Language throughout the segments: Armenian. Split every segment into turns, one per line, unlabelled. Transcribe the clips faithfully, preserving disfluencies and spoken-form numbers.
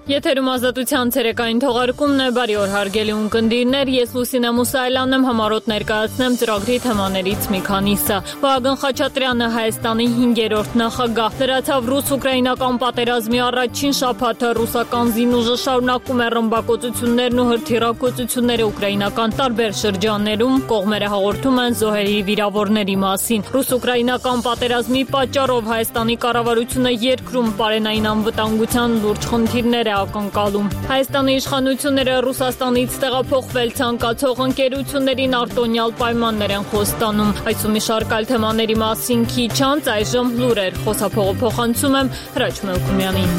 Եթերում ազատության ցերեկային թողարկումն է, բարի օր հարգելի ունկնդիրներ, ես Լուսինե Մուսայելյանն եմ, համառոտ ներկայացնեմ ծրագրի թեմաներից մի քանիսը։ Վահագն Խաչատրյանը Հայաստանի հինգերորդ նախագահ, լրացավ ռուս-ուկրաինական պատերազմի առաջին շաբաթը, ռուսական զինուժը շարունակում է ռմբակոծություններն ու հրթիռակոծությունները ուկրաինական տարբեր շրջաններում, կողմերը հաղորդում են զոհերի վիրավորների մասին։ Ռուս-ուկրաինական պատերազմի պատճառով Հայաստանի կառավարությունը երկրում պարենային անվտանգության լուրջ խնդիրներ ակնկալում։ Հայաստանի իշխանությունները Ռուսաստանից տեղափոխվել ցանկացող ընկերություններին արտոնյալ պայմաններ են խոստանում։ Այս ու մի շարք այլ թեմաների մասին քիչ անց այժմ լուրեր, խոսափողը փոխանցում եմ Հրաչ Մելքումյանին։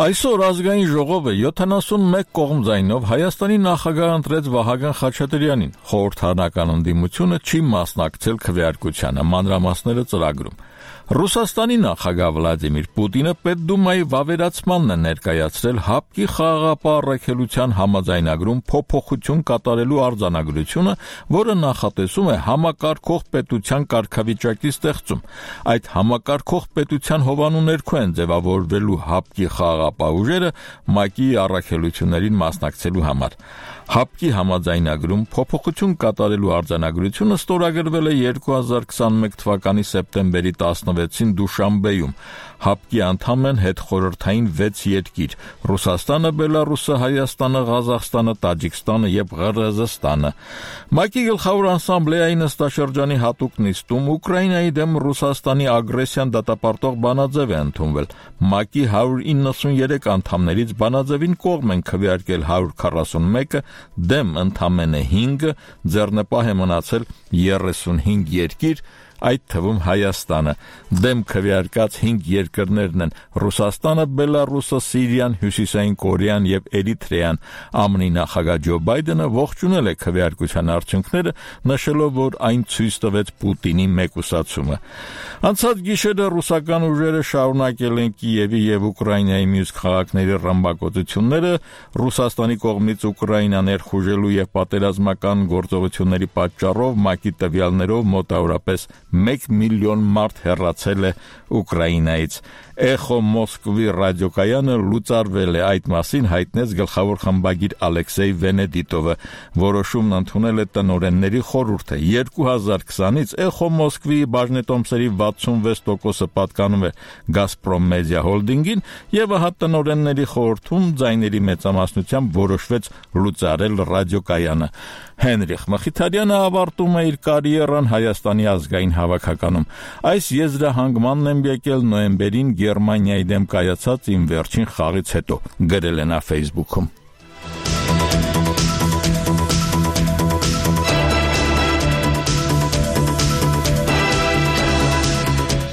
Այսօր ազգային ժողովը յոթանասունմեկ կողմ ձայնով Հայաստանի նախագահ ընտրեց Վահագն Խաչատրյանին։ Խորհրդարանական ընդդիմությունը չի մասնակցել քվեարկությանը, մանրամասները ծրագրում։ Ռուսաստանի նախագահ Վլադիմիր Պուտինը Պետդումայի վավերացմանն է ներկայացրել ՀԱՊԿ-ի խաղաղապահ առաքելության համաձայնագրում փոփոխություն կատարելու արձանագրությունը, որը նախատեսում է համակարգող պետության կարգավիճակի ստեղծում։ Այդ համակարգող պետության հովանու ներքո են ձևավորվելու ՀԱՊԿ-ի խաղաղապահ ուժերը ՄԱԿ-ի առաքելություններին մասնակցելու համար։ ՀԱՊԿ-ի համաձայնագրում փոփոխություն կատարելու արձանագրությունը ստորագրվել է երկու հազար քսանմեկ թվականի սեպտեմբերի տասնվեցին Դուշանբեում։ ՀԱՊԿ-ի անդամ են հետխորհրդային վեց երկիր՝ Ռուսաստանը, Բելարուսը, Հայաստանը, Ղազախստանը, Տաջիկստանը եւ Ղրղըզստանը։ ՄԱԿ-ի գլխավոր ասամբլեայի նստաշրջանի հատուկ նիստում Ուկրաինայի դեմ Ռուսաստանի ագրեսիան դատապարտող բանաձև է ընդունվել։ ՄԱԿ-ի հարյուր իննսուններեք անդամներից բանաձևին կողմ են քվեարկել հարյուր քառասունմեկը, դեմ ընդամենը հինգը, ձեռնպահ է մնացել երեսունհինգ երկիր, այդ թվում Հայաստանը։ Դեմ քվեարկած հինգ երկրներն են Ռուսաստանը, Բելարուսը, Սիրիան, Հյուսիսային Կորեան եւ Էրիթրեան։ ԱՄՆ-ի նախագահ Ջո Բայդենը ողջունել է քվեարկության արդյունքները, նշելով, որ այն ցույց տվեց Պուտինի մեկուսացումը։ Անցած գիշերը ռուսական ուժերը շարունակել են Կիևի եւ Ուկրաինայի մյուս քաղաքների ռմբակոծությունները, Ռուսաստանի կողմից Ուկրաինա ներխուժելու եւ պատերազմական գործողությունների պատճառով ՄԱԿ-ի տվյալներով մոտավորապես մեկ միլիոն մարդ հեռացել է Ուկրաինայից։ Էխո Մոսկվի ռադիոկայանը լուծարվել է, այդ մասին հայտնեց գլխավոր խմբագիր Ալեքսեյ Վենեդիտովը։ Որոշումն ընդունել է տնօրենների խորհուրդը։ երկու հազար քսանից Էխո Մոսկվի բաժնետոմսերի վաթսունվեց տոկոսը պատկանում է Գազպրոմ Մեդիա Հոլդինգին, եւ ահա տնօրենների խորհրդում ձայների մեծամասնությամբ որոշվեց լուծարել ռադիոկայանը։ Հենրիխ Մխիթարյանը ավարտում է իր կարիերան Հայաստանի ազգային հավաքականում։ Այս եզրահանգմանն եմ եկել նոյեմբերին Գերմանիայի դեմ կայացած իմ վերջին խաղից հետո, գրել է նա Facebook-ում։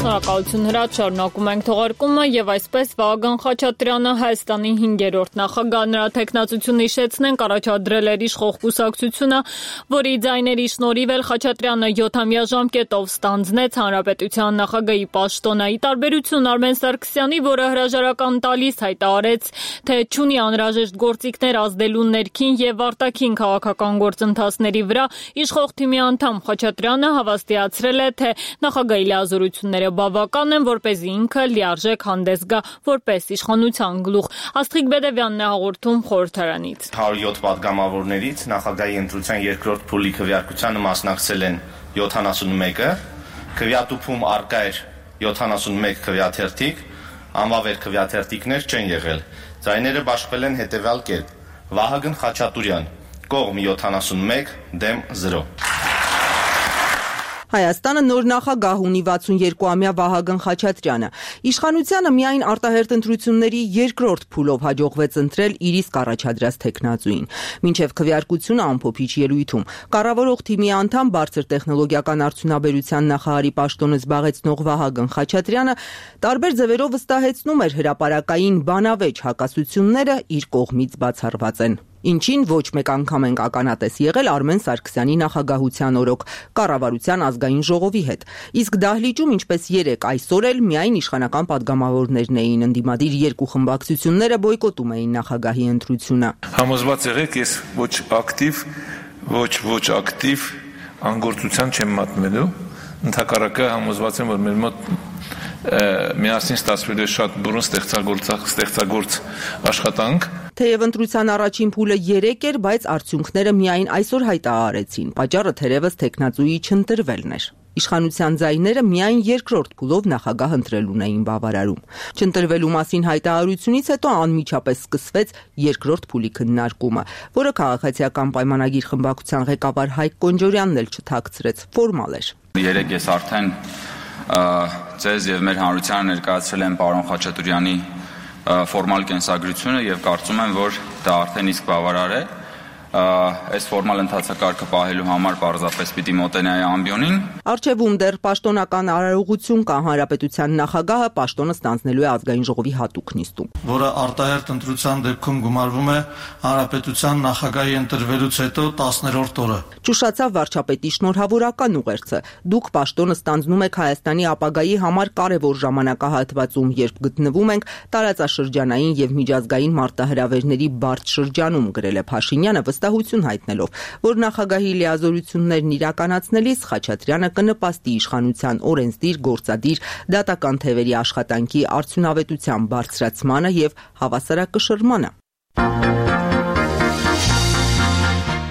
Շնորհակալություն Հրաչ, շարունակում ենք թողարկումը եւ այսպես Վահագն Խաչատրյանը Հայաստանի հինգերորդ նախագահ, նրա տեխնացությունը հիշեցնենք առաջադրել էր իշխող կուսակցությունը, որի ձայների շնորհիվ էլ Խաչատրյանը յոթամյա ժամկետով ստանձնեց հանրապետության նախագահի պաշտոնը։ Ի տարբերություն Արմեն Սարգսյանի, որը հրաժարական տալիս հայտարարեց, թե չունի անհրաժեշտ գործիքներ ազդելու ներքին եւ արտաքին քաղաքական գործընթացների վրա, իշխող թիմի անդամ Խաչատրյանը հավաստիացրել է, թե նախագահի լիազորությունները բավական են, որպեսզի ինքը լիարժեք հանդես գա որպես իշխանության գլուխ։ Աստղիկ Բեդևյանն է հաղորդում խորհրդարանից։
հարյուր յոթ պատգամավորներից նախագահի ընտրության երկրորդ փուլի քվեարկությանը մասնակցել են յոթանասունմեկը, քվեատուփում առկա էր յոթանասունմեկ քվեաթերթիկ, անվավեր քվեաթերթիկներ չեն եղել։ Ձայները բաշխվել են հետևյալ կերպ. Վահագն Խաչատրյան, կողմ յոթանասունմեկ, դեմ զրո։
Հայաստանը նոր նախագահ ունի վաթսունյոթամյա Վահագն Խաչատրյանը։ Իշխանությանը միայն արտահերթ ընտրությունների երկրորդ փուլով հաջողվեց ընտրել իր իսկ առաջադրած թեկնածուին։ Մինչև քվեարկությունը ամփոփիչ ելույթում կառավարող թիմի անդամ բարձր տեխնոլոգիական արդյունաբերության նախարարի պաշտոնը զբաղեցնող Վահագն Խաչատրյանը տարբեր ձևերով վստահեցնում էր հրապարակային բանավեճ հակասությունները իր կողմից բացառված են։ Ինչին ոչ մեկ անգամ ենք ականատես եղել Արմեն Սարգսյանի նախագահության օրոք կառավարության ազգային ժողովի հետ։ Իսկ դահլիճում, ինչպես երեք այսօր էլ միայն իշխանական պատգամավորներն էին, ընդդիմադիր երկու խմբակցությունները բոյկոտում էին նախագահի ընտրությունը։
Համոզված եղեք, ես ոչ ակտիվ, ոչ ոչ ակտիվ անգործության չեմ մատնվելու, Ընդհակառակը համոզված եմ, որ մեր մոտ միասին ստացվելու է շատ բուրըն ստեղծագործ աշխատանք։
Թեև ընտրության առաջին փուլը երեք էր, բայց արդյունքները միայն այսօր հայտարարեցին։ Պատճառը թերևս տեխնացուի չընտրվելն էր։ Իշխանության ձայները միայն երկրորդ փուլով նախագահ ընտրելուն էին բավարարում։ Չընտրվելու մասին հայտարարությունից հետո անմիջապես սկսվեց երկրորդ փուլի քննարկումը, որը քաղաքացիական պայմանագիր խմբակցության ղեկավար Հայկ Կոնջորյանն էլ չթաքցրեց, ֆորմալ էր։
Երեք ես արդեն ձեզ եւ մեր հանրությանը ներկայացրել եմ պարոն Խաչատուրյանի ֆորմալ կենսագրությունը եւ կարծում եմ, որ դա արդեն իսկ բավարար է։ Այս ֆորմալ ընթացակարգը պահելու համար պարզապես պիտի մոտենայի ամբիոնին։
Արչևում դեռ պաշտոնական արարողություն կա, հանրապետության նախագահը պաշտոնը ստանձնելու է ազգային ժողովի հատուկ նիստում,
որը արտահերթ ընտրության դեպքում գումարվում է հանրապետության նախագահի ընտրվելուց հետո տասներորդ օրը։
Ճուշացավ վարչապետի շնորհավորական ուղերձը։ Դուք պաշտոնը ստանձնում եք Հայաստանի ապագայի համար կարևոր ժամանակահատվածում, երբ գտնվում ենք տարածաշրջանային եւ միջազգային մարտահրավերների բարդ շրջանում, գրել է Փաշինյանը, վստահություն հայտնելով, որ նախագահի լիազորություններն իրականացնելիս Խաչատրյանը կնպաստի իշխանության օրենսդիր, գործադիր, դատական թևերի աշխատանքի արդյունավետության բարձրացմանը եւ հավասարակշռմանը։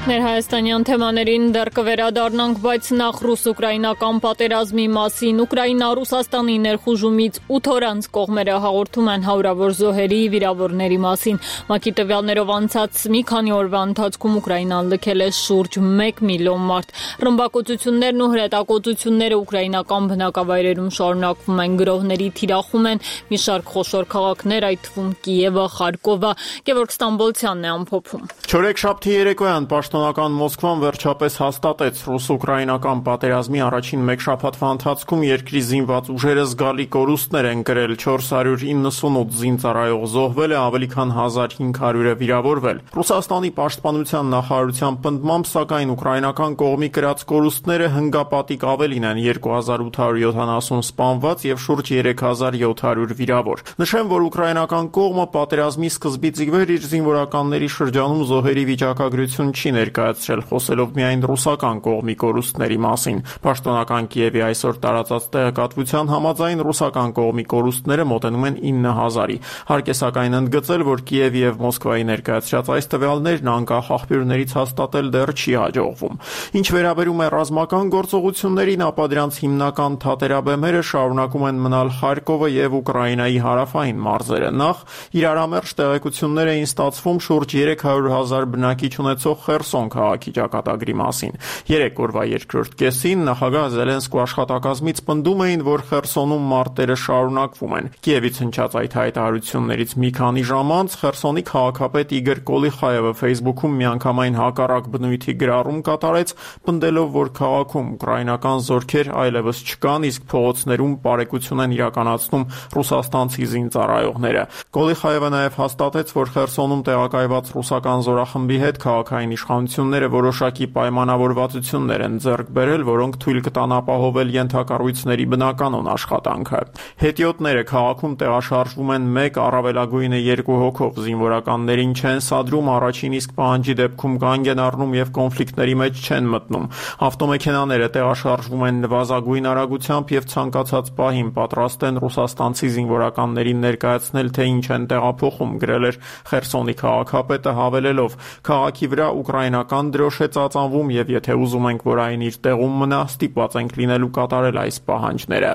Ներհայաստանյան թեմաներին դեռ կվերադառնանք, բայց նախ ռուս-ուկրաինական պատերազմի մասին։ Ուկրաինա-Ռուսաստանի ներխուժումից ութ օր անց կողմերը հաղորդում են հարյուրավոր զոհերի, վիրավորների մասին։ ՄԱԿ-ի տվյալներով անցած մի քանի օրվա ընթացքում Ուկրաինան լքել է շուրջ մեկ միլիոն մարդ։ Ռմբակոծություններն ու հրետակոծությունները ուկրաինական բնակավայրերում շարունակվում են, գրոհների թիրախում են մի շարք խոշոր քաղաքներ, այդ թվում Կիևը, Խարկովը։ Գևորգ Ստամբոլցյանն է ամփոփում։
Չորեքշաբթի երեկոյան Պաշտոնական Մոսկվան վերջապես հաստատեց ռուս-ուկրաինական պատերազմի առաջին մեկ շաբաթվա ընթացքում երկրի զինված ուժերը զգալի կորուստներ են կրել, չորս հարյուր իննսունութ զինծառայող զոհվել է, ավելի քան հազար հինգ հարյուրը վիրավորվել։ Ռուսաստանի պաշտպանության նախարարության պնդմամբ, սակայն ուկրաինական կողմի կրած կորուստները հնգապատիկ ավելին են՝ երկու հազար ութ հարյուր յոթանասուն սպանված եւ շուրջ երեք հազար յոթ հարյուր վիրավոր։ Նշեմ, որ ուկրաինական կողմը պատերազմի սկզբից ի վեր իր զինվորականների շրջանում զոհերի վիճակագրություն չի ներկայացրել, խոսելով միայն ռուսական կողմի կորուստների մասին։ Պաշտոնական Կիևի այսօր տարածած տեղեկատվության համաձայն ռուսական կողմի կորուստները մոտենում են ինը հազարի։ Հարկ է սակայն ընդգծել, որ Կիևի եւ Մոսկվայի ներկայացրած այս տվյալներն անկախ աղբյուրներից հաստատել դեռ չի հաջողվում։ Ինչ վերաբերում է ռազմական գործողություններին, ապա դրանց հիմնական թատերաբեմերը շարունակում են մնալ Խարկովը եւ Ուկրաինայի հարավային մարզերը։ Նախ իրարամերժ տեղեկություններ էին ստացվում շուրջ երեք հարյուր հազար բնակիչ ունեցող Խերսոն քաղաքի ճակատագրի մասին։ Երեք օրվա երկրորդ կեսին նախագահ Զելենսկու աշխատակազմից պնդում էին, որ Խերսոնում մարտերը շարունակվում են։ Կիևից հնչած այդ հայտարարություններից մի քանի ժամ անց Խերսոնի քաղաքապետ Իգոր Կոլիխաևը Facebook-ում միանգամայն հակառակ բնույթի գրառում կատարեց, պնդելով, որ քաղաքում ուկրաինական զորքեր այլևս չկան, իսկ փողոցներում բարեկություն են իրականացնում ռուսաստանցի զինծառայողները։ Կոլիխաևը նաև հաստատեց, որ Խերսոնում տեղակայված ռուսական զորախմբի հետ քաղաքային իշխանությունները որոշակի պայմանավորվածություններ են ձեռք բերել, որոնք թույլ կտան ապահովել ենթակառույցների բնականոն աշխատանքը։ Հետիոտները քաղաքում տեղաշարժվում են մեկ, առավելագույնը երկու հոգով, զինվորականներին չեն սադրում, առաջին իսկ պահանջի դեպքում կանգ են առնում եւ կոնֆլիկտների մեջ չեն մտնում։ Ավտոմեքենաները տեղաշարժվում են նվազագույն արագությամբ եւ ցանկացած պահին պատրաստ են ռուսաստանցի զինվորականներին ներկայացնել, թե ինչ են տեղափոխում, գրել էր Խերսոնի քաղաքապետը, հավելելով. Քաղաքի վրա ուկրաինական դրոշ է ծածանվում եւ եթե ուզում ենք, որ այն իր տեղում մնա, ստիպված ենք լինելու կատարել այս պահանջները։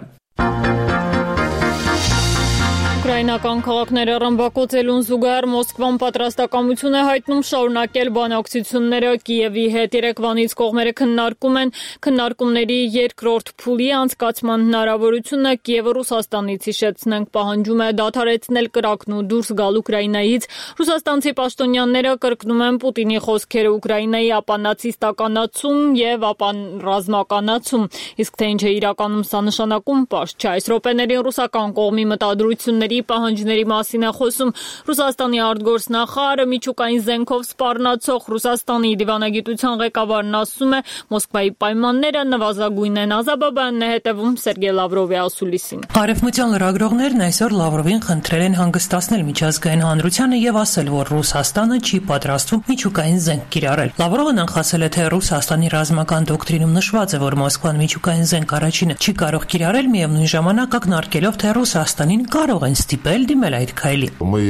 Ուկրաինական քաղաքները ռմբակոծելուն զուգահեռ Մոսկվան պատրաստակամություն է հայտնում շարունակել բանակցությունները Կիևի հետ։ Երեկվանից կողմերը քննարկում են քննարկումների երկրորդ փուլի անցկացման հնարավորությունը։ Կիևը Ռուսաստանից, հիշեցնենք, պահանջում է դադարեցնել կրակն ու դուրս գալ Ուկրաինայից։ Ռուսաստանցի պաշտոնյաները կրկնում են Պուտինի խոսքերը Ուկրաինայի ապանացիստականացում եւ ապանրազմականացում։ Իսկ թե ինչ է իրականում սա նշանակում, պարզ չէ։ Այս րոպեներին ռուսական կողմի մտադրությունների պահանջների մասին է խոսում։ Ռուսաստանի արտգործնախարարը միջուկային զենքով սպառնացող Ռուսաստանի դիվանագիտության ղեկավարն ասում է, Մոսկվայի պայմանները նվազագույն են։ Ազաբաբյանն է հետևում Սերգեյ Լավրովի ասուլիսին։
Արևմտյան լրագրողներն այսօր Լավրովին խնդրել են հանգստացնել միջազգային հանրությանը եւ ասել, որ Ռուսաստանը չի պատրաստվում միջուկային զենք կիրառել։ Լավրովը նախասել է, թե Ռուսաստանի ռազմական դոկտրինում նշված է, որ Մոսկվան միջուկային զենք առաջինը չի կարող կիրառել, միևնույն ժամանակ ակնարկելով, թե Ռուսաստանին կարող են ստիպել դիմել այդ քայլի։
Мы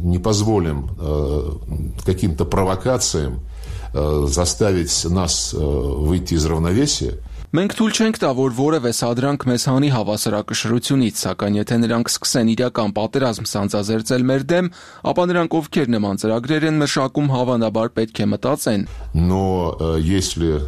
не позволим каким-то провокациям заставить нас выйти из равновесия.
Մենք թույլ չենք տա, որ որևէ սադրանք մեզ հանի հավասարակշռությունից, սակայն եթե նրանք սկսեն իրական պատերազմ սանձազերծել մեր դեմ, ապա նրանք ովքեր նման ծրագրեր են մշակում, հավանաբար պետք է մտածեն։
Но если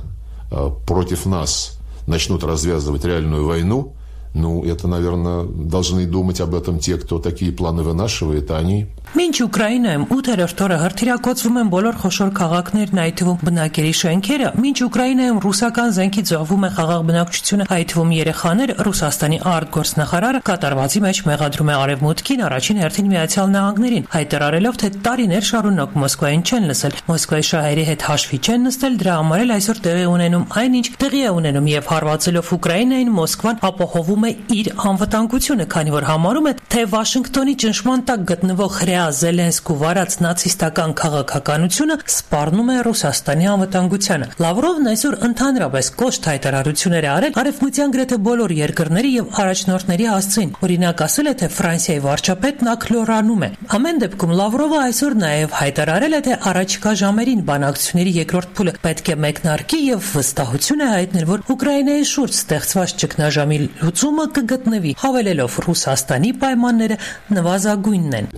против нас начнут развязывать реальную войну, ну, это, наверное, должны думать об этом те, кто такие планы вынашивает, а они...
Մինչ Ուկրաինայում ութերորդ օրը հրթիռակոծվում են բոլոր խոշոր քաղաքներն, այդ թվում բնակելի շենքերը, մինչ Ուկրաինայում ռուսական զենքի զոհվում է խաղաղ բնակչությունը, այդ թվում երեխաներ, Ռուսաստանի արտգործնախարարը կատարվածի մեջ մեղադրում է Արևմուտքին, առաջին հերթին Միացյալ Նահանգներին, հայտարարելով, թե տարիներ շարունակ Մոսկվային չեն լսել, Մոսկվայի շահերի հետ հաշվի չեն նստել, դրա համար էլ այսօր տեղի ունենում այնինչ տեղի է ունենում եւ հարվածելով Ուկրաինային, Մոսկվան ապահովում է իր անվտանգությունը, քանի որ համարում է, թե Վաշինգտոնի ճնշման տակ գտնվող Զելենսկու վարած նացիստական քաղաքականությունը սպառնում է Ռուսաստանի անվտանգությանը։ Լավրովն այսօր ընդհանրապես կոշտ հայտարարություններ է արել արևմտյան գրեթե բոլոր երկրների եւ առաջնորդների հասցեին։ Օրինակ ասել է, թե Ֆրանսիայի վարչապետն ակլորանում է։ Ամեն դեպքում Լավրովը այսօր նաեւ հայտարարել է, թե առաջիկա ժամերին բանակցությունների երկրորդ փուլը պետք է մեկնարկի եւ վստահություն է հայտնել, որ Ուկրաինայի շուրջ ստեղծված ճգնաժամի լուծումը կգտնվի, հավելելով Ռուսաստանի պայմանները նվազագույնն են։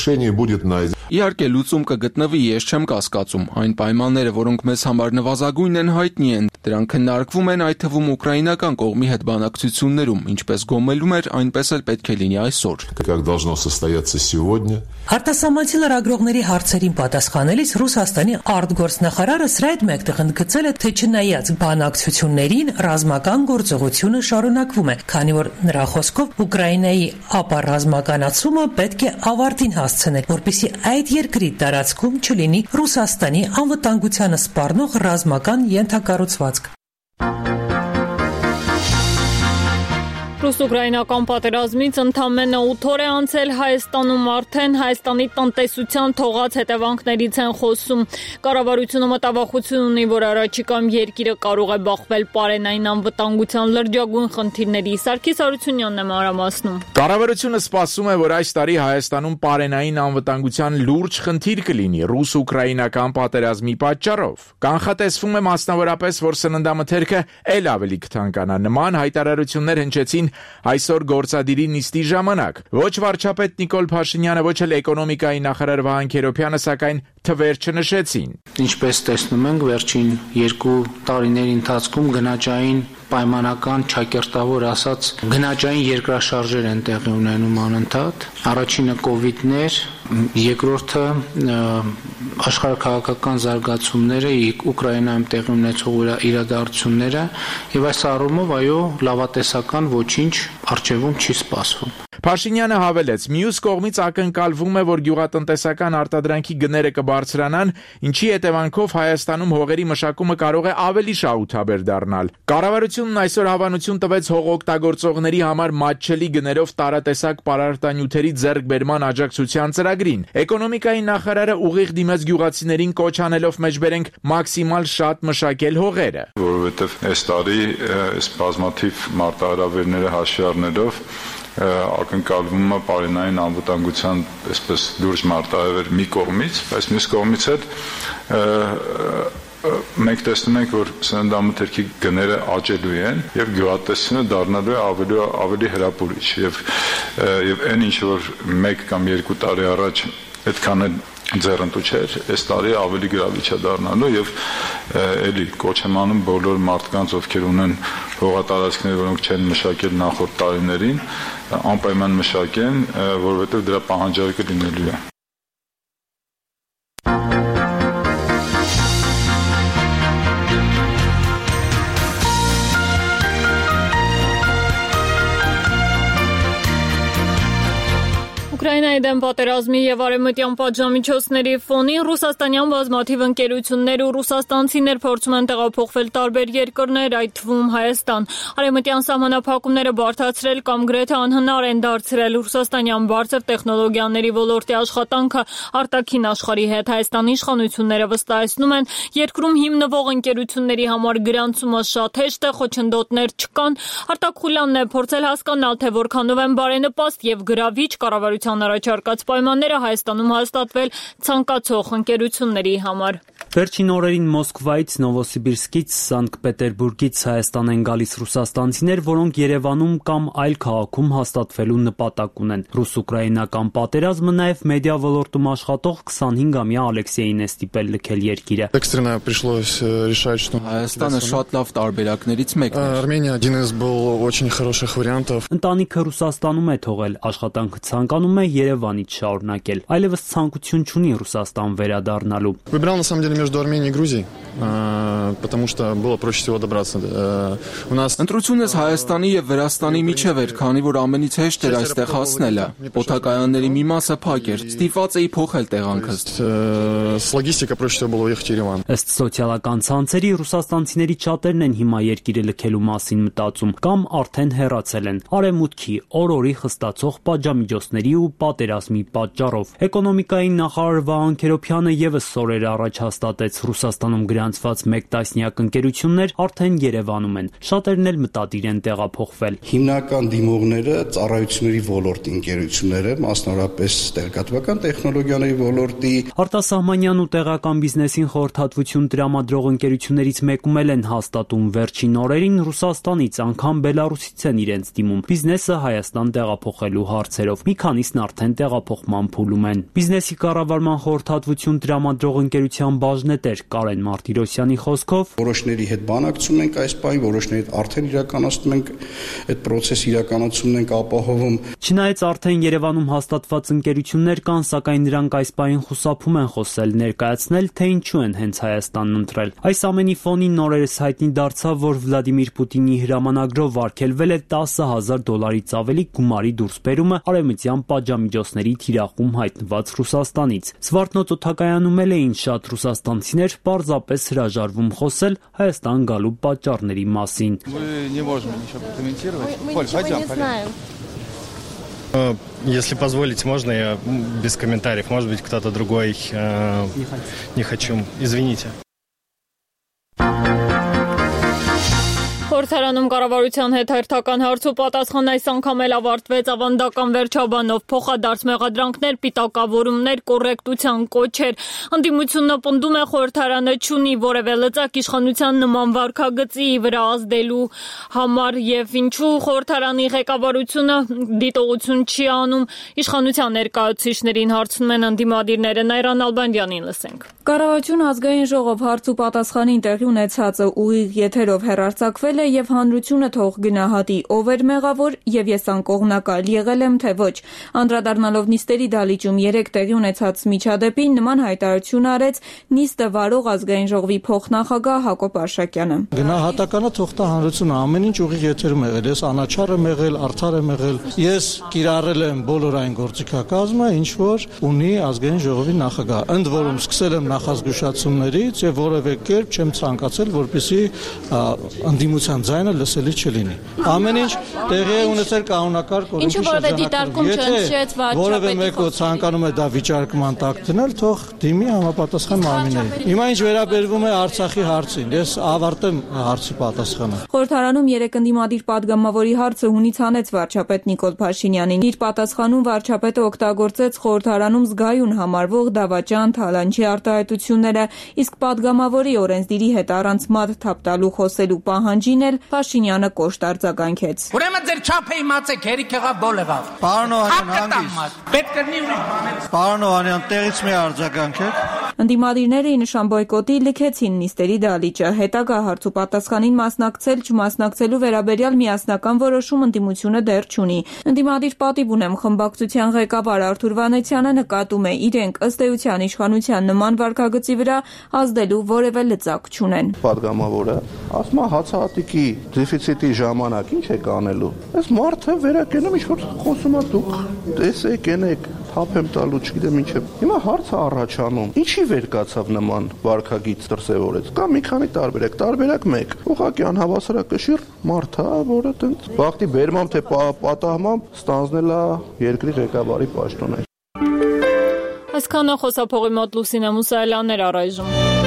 Решение будет найдено.
Իհարկե լուծում կգտնվի, ես չեմ կասկածում։ Այն պայմանները, որոնք մեզ համար նվազագույնն են, հայտնի են։ Դրանք քննարկվում են այդ թվում ուկրաինական կողմի հետ բանակցություններում, ինչպես գոմելում էր, այնպես էլ պետք է լինի այսօր։
Как должно состояться сегодня.
Արտասահմանցի լրագրողների հարցերին պատասխանելիս Ռուսաստանի արտգործնախարարը սրա հետ մեկտեղ ընդգծել է, թե չնայած բանակցություններին ռազմական գործողությունը շարունակվում է, քանի որ նրա խոսքով Ուկրաինայի ապառազմականացումը պետք է ավարտին հասցնել, որպեսզի այդ երկրի տարածքում չլինի Ռուսաստանի անվտանգությանը սպառնող ռազմական ենթակառուցվածք։
Ռուս-ուկրաինական պատերազմից ընդամենը ութ օր է անցել, Հայաստանում արդեն Հայաստանի տնտեսության թողած հետևանքներից են խոսում։ Կառավարությունը մտավախություն ունի, որ առաջիկայում երկիրը կարող է բախվել պարենային անվտանգության լրջագույն խնդիրների։ Սարգիս Արությունյանն է մանրամասնում։
Կառավարությունը սպասում է, որ այս տարի Հայաստանում պարենային անվտանգության լուրջ խնդիր կլինի ռուս-ուկրաինական պատերազմի պատճառով։ Կանխատեսվում է մասնավորապես, որ սննդամթերքը ել ավելի կթանկանա։ Նման հայտարարություններ հնչեցին այսօր գործադիրի նիստի ժամանակ։ Ոչ վարչապետ Նիկոլ Փաշինյանը, ոչ էլ էկոնոմիկայի նախարար Վահան Քերոբյանը, սակայն թվեր չնշեցին։
Ինչպես տեսնում ենք, վերջին երկու տարիների ընթացքում գնաճային պայմանական չակերտավոր ասած գնաճային երկրաշարժեր են տեղի ունենում անընդհատ։ Առաջինը կովիդն էր, երկրորդը աշխարհաքաղաքական զարգացումները, Ուկրաինայում տեղի ունեցող իրադարձությունները, եւ այս առումով այո, լավատեսական ոչինչ առջևում չի սպասվում։
Փաշինյանը հավելեց, մյուս կողմից ակնկալվում է, որ գյուղատնտեսական արտադրանքի գները կբարձրանան, ինչի հետևանքով Հայաստանում հողերի մշակումը կարող է ավելի շահութաբեր դառնալ։ Կառավարությունն այսօր հավանություն տվեց հողօգտագործողների համար մատչելի գներով տարատեսակ պարարտանյութերի ձեռքբերման աջակցության ծրագրին։ Էկոնոմիկայի նախարարը ուղիղ դիմեց գյուղացիներին կոչ անելով մեջբերենք մաքսիմալ շատ մշակել հողերը։
Որովհետև այս տարի այս բազմաթիվ մարտահրավերները հաշվի առնելով ակնկալվում է պարենային անվտանգության այսպես լուրջ մարտահրավեր մի կողմից, բայց մյուս կողմից էլ մենք տեսնում ենք, որ սննդամթերքի գները աճելու են եւ գյուղատնտեսությունը դառնալու է ավելի ավելի հրապուրիչ եւ եւ այն ինչ որ մեկ կամ երկու տարի առաջ այդքան էլ ձեռնտու չէր, այս տարի ավելի գրավիչ է դառնալու եւ էլի կոչ եմ անում բոլոր մարդկանց, ովքեր ունեն հողատարածքներ, որոնք չեն մշակել նախորդ տարիներին, անպայման մշակեն, որովհետեւ դրա պահանջարկը լինելու է։
Ուկրաինայի դեմ պատերազմի եւ արևմտյան պատժամիջոցների ֆոնին ռուսաստանյան բազմաթիվ ընկերություններ ու ռուսաստանցիներ փորձում են տեղափոխվել տարբեր երկրներ, այդ թվում Հայաստան։ Արևմտյան սահմանափակումները բարդացրել կամ գրեթե անհնար են դարձրել ռուսաստանյան բարձր տեխնոլոգիաների ոլորտի աշխատանքը արտաքին աշխարհի հետ։ Հայաստանի իշխանությունները վստահեցնում են, երկրում հիմնվող ընկերությունների համար գրանցումը շատ հեշտ է, խոչընդոտներ չկան։ Արտակ Խուլյանն է փորձել հասկանալ, թե որքանով են բարենպաստ եւ գրավիչ կառավարության առաջարկած պայմանները Հայաստանում հաստատվել ցանկացող ընկերությունների համար։
Վերջին օրերին Մոսկվայից, Նովոսիբիրսկից, Սանկտ Պետերբուրգից Հայաստան են գալիս ռուսաստանցիներ, որոնք Երևանում կամ այլ քաղաքում հաստատվելու նպատակ ունեն։ Ռուս-ուկրաինական պատերազմը նաև մեդիա ոլորտում աշխատող քսանհինգամյա Ալեքսեյին է ստիպել լքել երկիրը։
Հայաստանը շատ լավ տարբերակներից մեկն էր։
Արմենիա один из был очень хороших вариантов։
Ընտանիքը Ռուսաստանում է թողել, աշխատանքը ցանկանում է Երևանից շարունակել։ Այլևս ցանկություն չունի Ռուսաստան վերադառնալու։
Выбирал на самом деле между Арменией и Грузией, потому что было проще всего добраться. У нас
Ընտրությունս Հայաստանի եւ Վրաստանի միջև էր, քանի որ ամենից հեշտ էր այստեղ հասնելը։ Օդակայանների մի մասը փակ էր, ստիպված էի փոխել տեղանքս։
С логистикой проще всего было ехать в Ереван։
Ըստ սոցիալական ցանցերի ռուսաստանցիների շատերն են հիմա երկիրը լքելու մասին մտածում կամ արդեն հեռացել են արևմուտքի օր-օրի խստացող պատժամիջոցների ու պատերազմի պատճառով։ Էկոնոմիկայի նախարար Վահան Քերոբյանը եւս սորեր առաջ հաստատեց Ռուսաստանում գրանցված մեկ տասնյակ ընկերություններ արդեն Երևանում են։ Շատերն էլ մտադիր են տեղափոխվել։
Հիմնական դիմողները ծառայությունների ոլորտի ընկերությունները, մասնավորապես տեղեկատվական տեխնոլոգիաների ոլորտի,
արտասահմանյան ու տեղական բիզնեսին խորհրդատվություն տրամադրող ընկերություններից մեկում էլ են հաստատում վերջին օրերին Ռուսաստանից, անգամ Բելարուսից են իրենց դիմում բիզնեսը Հայաստան տեղափոխելու հարցերով։ Մի քանիսն արդեն տեղափոխման փուլում են։ Բիզնեսի կառավարման խորհրդատվություն տրամադրող ընկերության բաժնետեր Կարեն Մարտիրոսյանի խոսքով
որոշների հետ բանակցում ենք այս պահին, որոշների հետ արդեն իրականացնում ենք այդ process-ը իրականացումն ենք ապահովում։
Չնայած արդեն Երևանում հաստատված ընկերություններ կան, սակայն նրանք այս պահին խուսափում են խոսել, ներկայացնել, թե ինչու են հենց Հայաստանն ընտրել։ Այս ամենի ֆոնին նորերս հայտնի դարձավ, որ Վլադիմիր Պուտինի հրամանագրով արգելվել է տասը հազար դոլարից ավելի գումարի դուրսբերումը արևմտյան պատժամիջոցների թիրախում հայտնված Ռուսաստանից։ Զվարթնոց օդակայանում էլ էին շատ ռուսաստանցիներ պարզապես հրաժարվում խոսել Հայաստան գալու պատճառների մասին։
Если позволите, можно я без комментариев? Может быть, кто-то другой э, не хочу. Извините.
Խորհրդարանում կառավարության հետ հերթական հարց ու պատասխան այս անգամ էլ ավարտվեց ավանդական վերջաբանով, փոխադարձ մեղադրանքներ, պիտակավորումներ, կոռեկտության կոչեր։ Ընդդիմությունը պնդում է խորհրդարանը չունի որևէ լծակ իշխանության նման վարքագծի վրա ազդելու համար եւ ինչու խորհրդարանի ղեկավարությունը դիտողություն չի անում, իշխանության ներկայացուցիչներին հարցնում են ընդդիմադիրները։ Նայրան Ալբանդյանին լսենք։
Կառավարություն ազգային ժողով հարց ու պատասխանին տեղի ունեցածը ուղիղ եթերով հեռարձակվել է եւ հանրությունը թող գնահատի ով էր մեղավոր եւ ես անկողմնակալ եղել եմ թե ոչ։ Անդրադառնալով նիստերի դալիճում երեք տեղի ունեցած միջադեպին նման հայտարարություն արեց նիստը վարող ազգային ժողովի փոխնախագահ Հակոբ Արշակյանը։
Գնահատականը թող տա հանրությունը, ամեն ինչ ուղիղ եթերում եղել, ես անաչառ եմ եղել, արդար եմ եղել։ Ես կիրառել եմ բոլոր այն գործիքակազմը, ինչ որ ունի ազգային ժողովի նախագահ։ Ընդ որում սկսել եմ նախազգուշացումներից եւ որևէ կերպ չեմ ցանկացել, որպեսզի ընդդիմության ձայնը լսելի չլինի։ Ամեն ինչ տեղի է ունեցել կանոնակարգ օրենքի շրջանակում։ Եթե որևէ մեկը ցանկանում է դա վիճարկման տակ դնել, թող դիմի համապատասխան մարմիններին։ Հիմա ինչ վերաբերվում է Արցախի հարցին, ես ավարտեմ հարցի պատասխանը։
Խորհրդարանում երեք ընդդիմադիր падգամավորի հարցը հունից հանեց վարչապետ Նիկոլ Փաշինյանին։ Իր պատասխանում վարչապետը օգտագործեց խորհրդարանում զգայուն համարվող դավաճան, թալանչի արտահայտությունները, իսկ падգամավորի օրենսդիրի հետ առանց մատ թափտալու խոսելու պահանջին էլ Փաշինյանը կոշտ արձագանքեց։
Ուրեմն ձեր չափը իմացեք, հերիք եղավ, բոլ եղավ։
Պարոն Օհանյան, հանգիստ։
Պետք է նի ուրիշ բաներ։
Պարոն Օհանյան, տեղից մի արձագանքեք։
Ընդդիմադիրները ի նշան բոյկոտի լքեցին նիստերի դալիճը։ Հետագա հարց ու պատասխանին մասնակցել չմասնակցելու վերաբերյալ միասնական որոշում ընդդիմությունը դեռ չունի։ Ընդդիմադիր պատիվ ունեմ խմբակցության ղեկավար Արթուր Վանեցյանը նկատում է իրենք ըստ էության իշխանության նման վարքագծի վրա ազդելու որևէ լծակ չունեն։
Պատգամավորը ասում է հացահատիկի դեֆիցիտի ժամանակ ինչ եք անելու։ Այս մարդը վերակենում ինչ որ խոսում է դուք տեսեք, ենեք թափ եմ տալու, չգիտեմ ինչ է։ Հիմա հարցը առաջանում, ինչի վեր կացավ նման վարքագիծ դրսևորեց։ Կա մի քանի տարբերակ, տարբերակ մեկ։ Ուղղակի անհավասարակշիռ մարդ է, որը տենց բախտի բերմամբ թե պատահմամբ ստանձնել է երկրի ղեկավարի պաշտոնը։
Այսքանը խոսափողի մոտ Լուսինե Մուսայելյանն էր առայժմ։